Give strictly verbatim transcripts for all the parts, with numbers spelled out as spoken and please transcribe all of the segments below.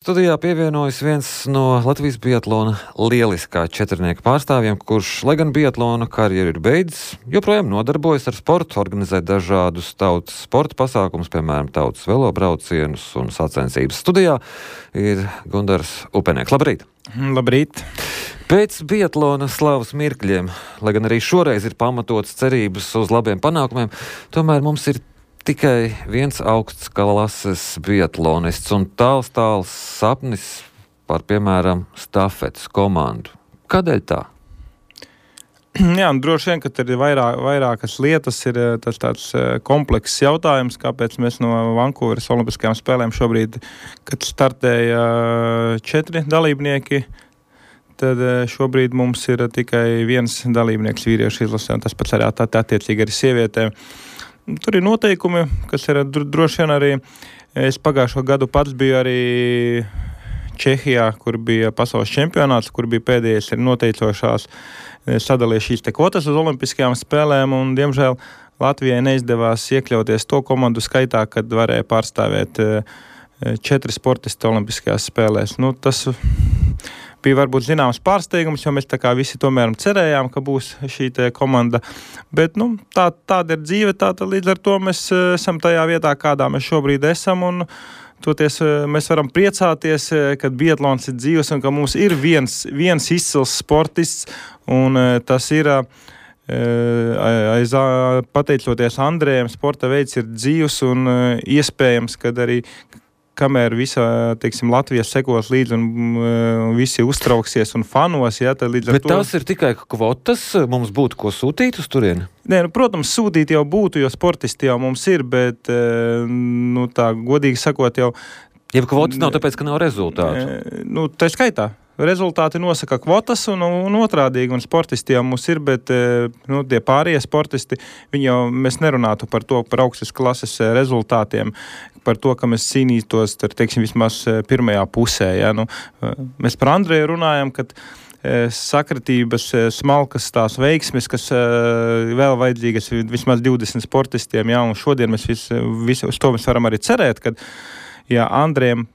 Studijā pievienojas viens no Latvijas biatlona lieliskā četrnieka pārstāvjiem, kurš, lai gan biatlona karjeru ir beidzis, joprojām nodarbojas ar sportu, organizē dažādus tautas sporta pasākumus, piemēram, tautas velobraucienus un sacensības. Studijā ir Gundars Upenieks. Labrīt! Labrīt! Pēc biatlona slavas mirkļiem, lai gan arī šoreiz ir pamatots cerības uz labiem panākumiem, tomēr mums ir tikai viens augsts klases biatlonists un tāls tāls sapnis par, piemēram, stafetes komandu. Kādēļ tā? Jā, un droši vien, ka tur ir vairāk, vairākas lietas, ir tas tāds komplekss jautājums, kāpēc mēs no Vankūveras olimpiskajām spēlēm šobrīd, kad startēja četri dalībnieki, tad šobrīd mums ir tikai viens dalībnieks vīriešu izlasē, un tas pats arī attiecīgi arī sievietēm. Tur ir noteikumi, kas ir droši vien arī, es pagājušo gadu pats biju arī Čehijā, kur bija pasaules čempionāts, kur bija pēdējais ir noteicošās sadalīja šīs te kvotas uz olimpiskajām spēlēm, un diemžēl Latvijai neizdevās iekļauties to komandu skaitā, kad varēja pārstāvēt četri sportisti olimpiskajās spēlēs. Nu, tas bija varbūt zināms pārsteigums, jo mēs tā kā visi tomēr cerējām, ka būs šī te komanda. Bet, nu, tā, tāda ir dzīve, tāda līdz ar to mēs esam tajā vietā, kādā mēs šobrīd esam, un toties mēs varam priecāties, kad biatlons ir dzīves un ka mums ir viens, viens izcils sportists, un tas ir aiz, pateicoties Andrejam, sporta veids ir dzīves un iespējams, kad arī kamēr visa, teiksim, Latvijas sekos līdzi un, un visi uztrauksies un fanos, ja, tad līdz ar Bet to... tās ir tikai kvotas, mums būtu ko sūtīt uz turieni? Nē, nu, protams, sūtīt jau būtu, jo sportisti jau mums ir, bet, nu, tā, godīgi sakot, jau... Ja kvotas nav tāpēc, ka nav rezultātu? Nu, tā skaitā. Rezultāti nosaka kvotas un, un otrādīgi, un sportisti jau mums ir, bet nu, tie pārējie sportisti, viņi jau, mēs nerunātu par to, par augstas klases rezultātiem, par to, ka mēs cīnītos, tur, teiksim, vismaz pirmajā pusē. Ja? Nu, mēs par Andreju runājam, kad sakritības, smalkas tās veiksmes, kas vēl vajadzīgas vismaz divdesmit sportistiem, ja? Un šodien mēs vis, vis, uz to mēs varam arī cerēt, kad ja Andrejam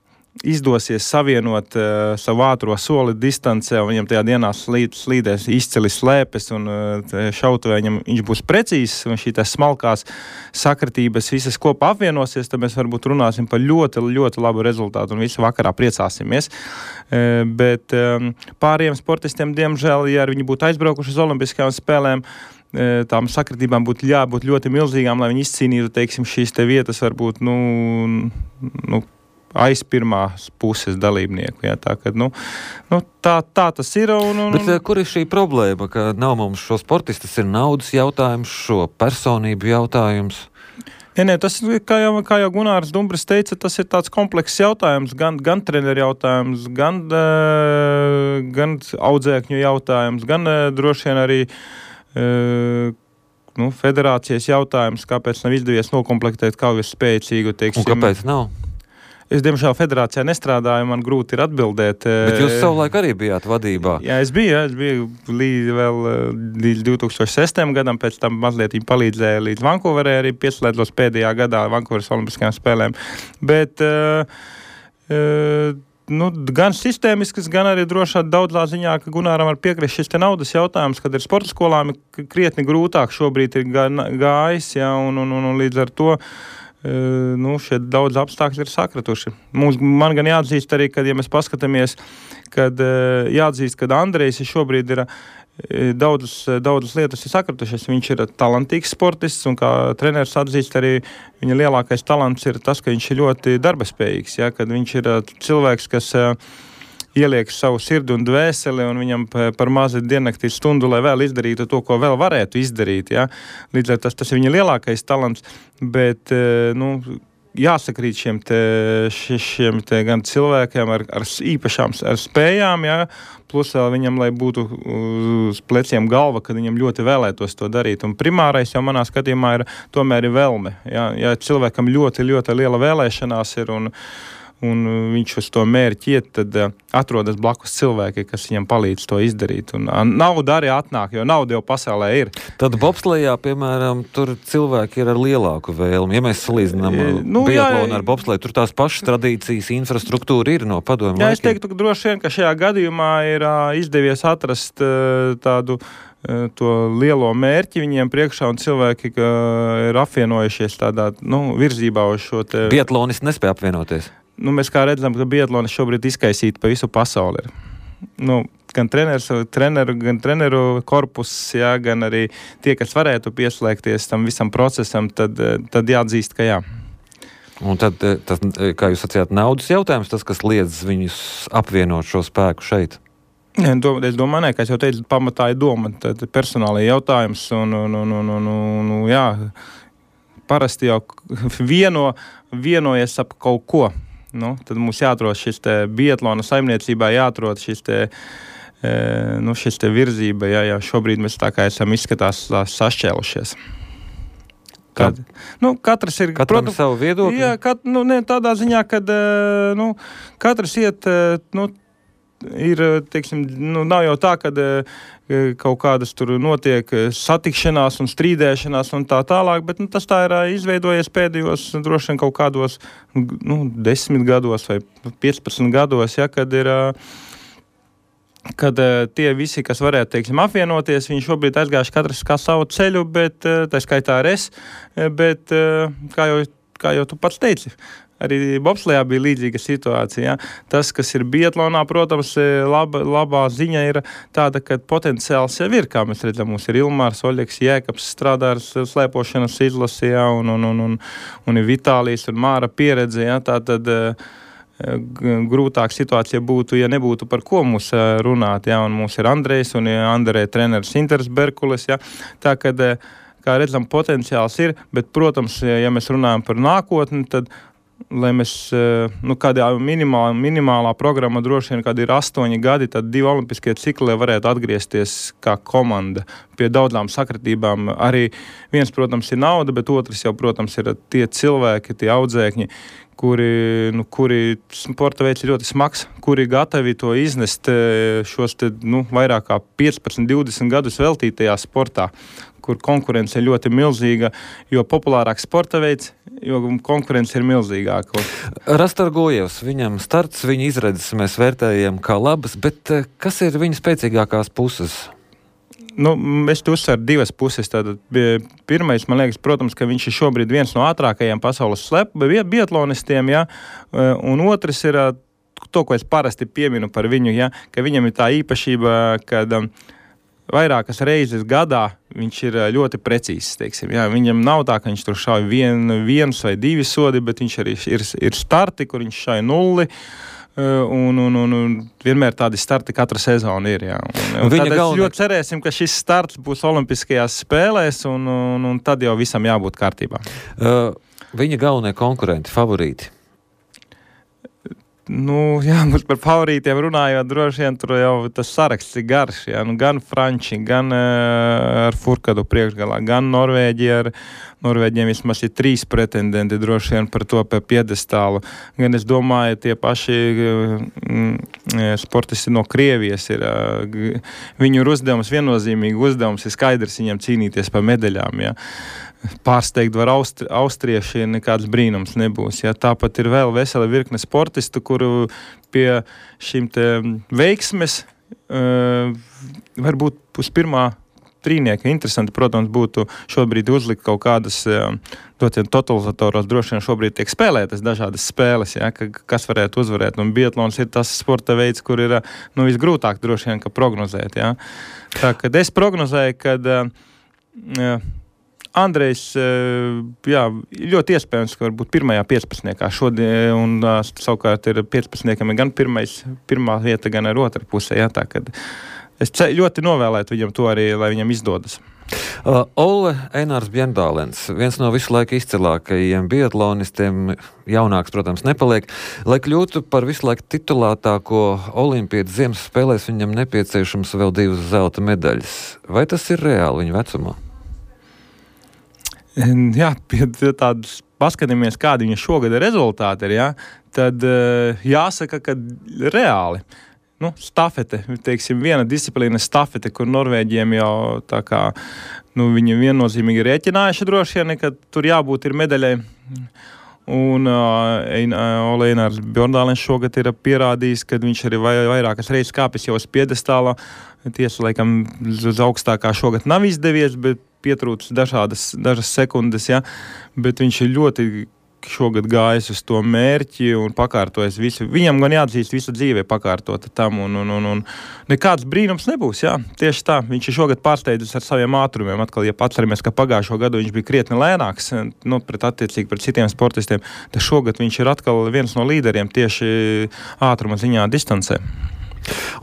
izdosies savienot uh, savu ātro soli distancē, un viņam tajā dienā slīd, slīdēs izceli slēpes, un uh, šautuvē viņam viņš būs precīzs, un šī tās smalkās sakritības visas kopā apvienosies, tad mēs varbūt runāsim par ļoti, ļoti labu rezultātu, un visi vakarā priecāsimies. Uh, bet um, pāriem sportistiem, diemžēl, ja viņi būtu aizbraukuši uz olimpiskajām spēlēm, uh, tām sakritībām būtu jābūt ļoti milzīgām, lai viņi izcīnītu, teiksim, šīs te vietas varbūt, nu, nu aiz pirmās puses dalībnieku. Jā, tā, kad, nu, nu, tā, tā tas ir. Un, un, Bet kur ir šī problēma, ka nav mums šo sportistu, tas ir naudas jautājums, šo personību jautājums? Nē, nē, tas, kā jau, kā jau Gunārs Dumbris teica, tas ir tāds komplekss jautājums, gan, gan treneru jautājums, gan, uh, gan audzēkņu jautājums, gan uh, droši vien arī uh, nu, federācijas jautājums, kāpēc nav izdevies nokomplektēt kaujas spēcīgu, teiksim. Un kāpēc nav? Es, diemžēl, federācijā nestrādāju, man grūti ir atbildēt. Bet jūs savulaik arī bijāt vadībā. Jā, es biju, jā, es biju līdz vēl līdz divi tūkstoši sestajam gadam, pēc tam mazliet viņi palīdzēja līdz Vankūverē, arī pieslēdzos pēdējā gadā Vankūveras olimpiskajām spēlēm. Bet, uh, uh, nu, gan sistēmiskas, gan arī drošā daudzā ziņā, ka Gunāram var piekrist šis te naudas jautājums, kad ir sporta skolām krietni grūtāk šobrīd ir gājis, jā, un, un, un, un līdz ar to Uh, nu, šie daudz apstākļi ir sakratuši. Mums, man gan jāatzīst arī, kad, ja mēs paskatāmies, kad uh, jāatzīst, kad Andrejs šobrīd ir uh, daudzas, daudzas lietas ir sakratušies. Viņš ir talantīgs sportists, un kā treneris atzīst arī, viņa lielākais talants ir tas, ka viņš ir ļoti darbaspējīgs, ja, kad viņš ir uh, cilvēks, kas uh, ieliek savu sirdi un dvēseli, un viņam par mazi diennaktī stundu, lai vēl izdarītu to, ko vēl varētu izdarīt. Ja? Līdz ar tas, tas ir viņa lielākais talants, bet, nu, jāsakrīt šiem te, šiem te gan cilvēkiem ar, ar īpašām ar spējām, ja? Plus vēl viņam, lai būtu uz pleciem galva, kad viņam ļoti vēlētos to darīt. Un primārais jau manā skatījumā ir tomēr ir velme. Ja, ja cilvēkam ļoti, ļoti liela vēlēšanās ir un un viņš uz to mērķi iet, tad uh, atrodas blakus cilvēki, kas viņam palīdz to izdarīt. Un uh, nauda arī atnāk, jo nauda jau pasaulē ir. Tad bobslejā, piemēram, tur cilvēki ir ar lielāku vēlmi. Ja mēs salīdzinām E, nu, biatlonu jā, ar bobsleju, tur tās pašas tradīcijas, infrastruktūra ir no padomju Jā, laikiem. es teiktu, ka droši vien, ka šajā gadījumā ir uh, izdevies atrast uh, tādu to lielo mērķi viņiem priekšā, un cilvēki ir apvienojušies tādā, nu, virzībā uz šo te... Biatlonisti nespēja apvienoties. Nu, mēs kā redzam, ka biatlonis šobrīd izkaisīti pa visu pasauli ir. Nu, gan treneris, treneru, gan treneru korpus, jā, gan arī tie, kas varētu pieslēgties tam visam procesam, tad, tad jāatzīst, ka jā. Un tad, tas, kā jūs sacījāt, naudas jautājums, tas, kas liedz viņus apvienot šo spēku šeit? Es domāju, ne, ka es jau teicu, pamatā ir doma, tad personālajā jautājums, un, un, un, un, un, un, un jā, parasti jau vieno, vienojas ap kaut ko. Nu, tad mums jāatrod šis te biatlona saimniecībā, jāatrod šis te, e, nu, šis te virzība, jā, jā, šobrīd mēs tā kā esam izskatās sašķēlušies. Kad, nu, katrs ir, Katram protams, savu viedokli? Jā, kat, nu, ne, tādā ziņā, kad, nu, katrs iet, nu, ir, teiksim, nu, nav jau tā, kad kaut kādas tur notiek satikšanās un strīdēšanās un tā tālāk, bet nu, tas tā ir izveidojies pēdējos droši vien kaut kādos nu, desmit gados vai piecpadsmit gados, ja, kad ir, kad tie visi, kas varētu, teiksim, apvienoties, viņi šobrīd aizgājuši katrs kā savu ceļu, bet tā skaitā ar es, bet kā jau, kā jau tu pats teici, arī bobslejā bija līdzīga situācija. Ja? Tas, kas ir biatlonā, protams, laba, labā ziņa ir tāda, ka potenciāls jau ir, kā mēs redzam, mums ir Ilmārs, Oļeks, Jēkabs strādā ar slēpošanas izlasi, ja? un, un, un, un, un ir Vitālijs un Māra pieredze. Ja? Tātad grūtāk situācija būtu, ja nebūtu par ko mums runāt. Ja? Un mums ir Andrejs un Andrē treneris Inters Berkulis. Ja? Tā, kad, kā redzam, potenciāls ir, bet, protams, ja mēs runājam par nākotni, tad lai mēs, nu, kādā minimālā, minimālā programma droši vien, kad ir astoņi gadi, tad divi olimpiskie cikli varētu atgriezties kā komanda pie daudzām sakritībām. Arī viens, protams, ir nauda, bet otrs jau, protams, ir tie cilvēki, tie audzēkņi, kuri, nu, kuri sporta veids ir ļoti smags, kuri gatavi to iznest šos te, nu, vairāk kā piecpadsmit, divdesmit gadus veltītajā sportā, kur konkurence ir ļoti milzīga, jo populārāks sporta veids, jo konkurence ir milzīgāka. Rastorgojevs, viņam starts, viņa izredzes mēs vērtējam kā labas, bet kas ir viņa spēcīgākās puses? Nu, es tu uzsveru divas puses. Tātad, pirmais, man liekas, protams, ka viņš ir šobrīd viens no ātrākajiem pasaules slep, biatlonistiem, ja? Un otrs ir to, ko es parasti pieminu par viņu, ja? Ka viņam ir tā īpašība, kad vairākas reizes gadā viņš ir ļoti precīzs, teiksim. Jā, viņam nav tā, ka viņš tur šauj vien, viens vai divi sodi, bet viņš arī ir, ir starti, kur viņš šauj nulli, un, un, un, un vienmēr tādi starti katra sezona ir. Jā. Un, un tad galvenā... ļoti cerēsim, ka šis starts būs olimpiskajās spēlēs, un, un, un tad jau visam jābūt kārtībā. Uh, viņa galvenie konkurenti, favorīti? Nu, jā, mums par favorītiem runājot, droši vien tur jau tas saraksts ir garš, jā, nu, gan Franči, gan uh, ar Furkadu priekšgalā, gan Norvēģi ar Norvēģiem vismaz ir trīs pretendenti droši vien par to piedestālu, gan es domāju, tie paši uh, sportisti no Krievijas ir, uh, viņu ir uzdevums, viennozīmīgi uzdevums ir skaidrs viņiem cīnīties par medaļām, jā. Pārsteigt var austri, austrieši, nekāds brīnums nebūs. Ja? Tāpat ir vēl vesela virkne sportistu, kuru pie šīm te veiksmes uh, varbūt uz pirmā trīnieka interesanti, protams, būtu šobrīd uzlikt kaut kādas uh, totalizatoros, droši vien šobrīd tiek spēlētas dažādas spēles, ja? Ka, kas varētu uzvarēt. Un biatlons ir tas sporta veids, kur ir nu, visgrūtāk droši vien, ka prognozēt. Ja? Tā, kad es prognozēju, kad uh, uh, Andrejs, jā, ļoti iespējams, ka varbūt pirmajā piecpadsmitniekā šodien, un uh, savukārt ir piecpadsmitniekam gan pirmais, pirmā vieta, gan ar otru pusē, jā, tā, kad es ļoti novēlētu viņam to arī, lai viņam izdodas. Uh, Olle Einārs Bjernbālens, viens no visu laiku izcilākajiem biatlonistiem, jaunāks, protams, nepaliek. Lai kļūtu par visu laiku titulētāko olimpietu ziemas spēlēs, viņam nepieciešams vēl divas zelta medaļas. Vai tas ir reāli viņa vecumā? Jā, pie tādas paskatāmies, kādi viņa šogad rezultāti ir, jā, tad jāsaka, ka reāli. Nu, stafete, teiksim, viena disciplīna stafete, kur Norvēģiem jau tā kā, nu, viņi viennozīmīgi rēķinājuši droši vien, ka tur jābūt ir medaļai. Un uh, Ole Einars Bjorndālens šogad ir pierādījis, ka viņš arī vai, vairākas reizes kāpis jau uz piedestālā. Tiesa, laikam, uz augstākā šogad nav izdevies, bet pietrūcis dažādas, dažas sekundes, ja, bet viņš ir ļoti šogad gājis uz to mērķi un pakārtojas visu. Viņam gan jāatzīst visu dzīvē pakārtota tam, un, un, un, un nekāds brīnums nebūs, jā. Tieši tā, viņš ir šogad pārsteidzis ar saviem ātrumiem. Atkal, ja atceramies, ka pagājušo gadu viņš bija krietni lēnāks, nu, pret attiecīgi pret citiem sportistiem, tad šogad viņš ir atkal viens no līderiem tieši ātruma ziņā distancē.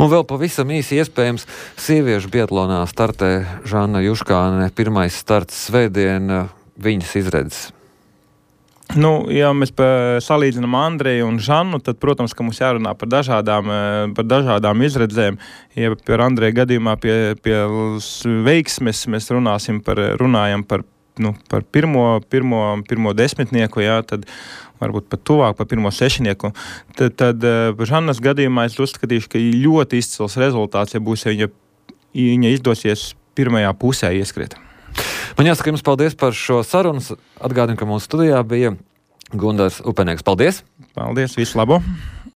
Un vēl pavisam īsi iespējams, sieviešu biatlonā startē Žanna Juškāne, pirmais starts svētdien, viņas izredzes. Nu, ja mēs salīdzinām Andreju un Žannu, tad, protams, ka mums jārunā par dažādām, par dažādām izredzēm. Ja par Andreju gadījumā pie, pie veiksmes mēs runāsim par, runājam par, nu, par pirmo, pirmo, pirmo desmitnieku, jā, tad varbūt pat tuvāk par pirmo sešnieku. Tad, tad par Žannas gadījumā es uzskatīšu, ka ļoti izcils rezultāts, ja būs, ja viņa, viņa izdosies pirmajā pusē ieskriet. Man jāsaka jums paldies par šo sarunu. Atgādinu, ka mūsu studijā bija Gundars Upenieks. Paldies! Paldies, visu labo!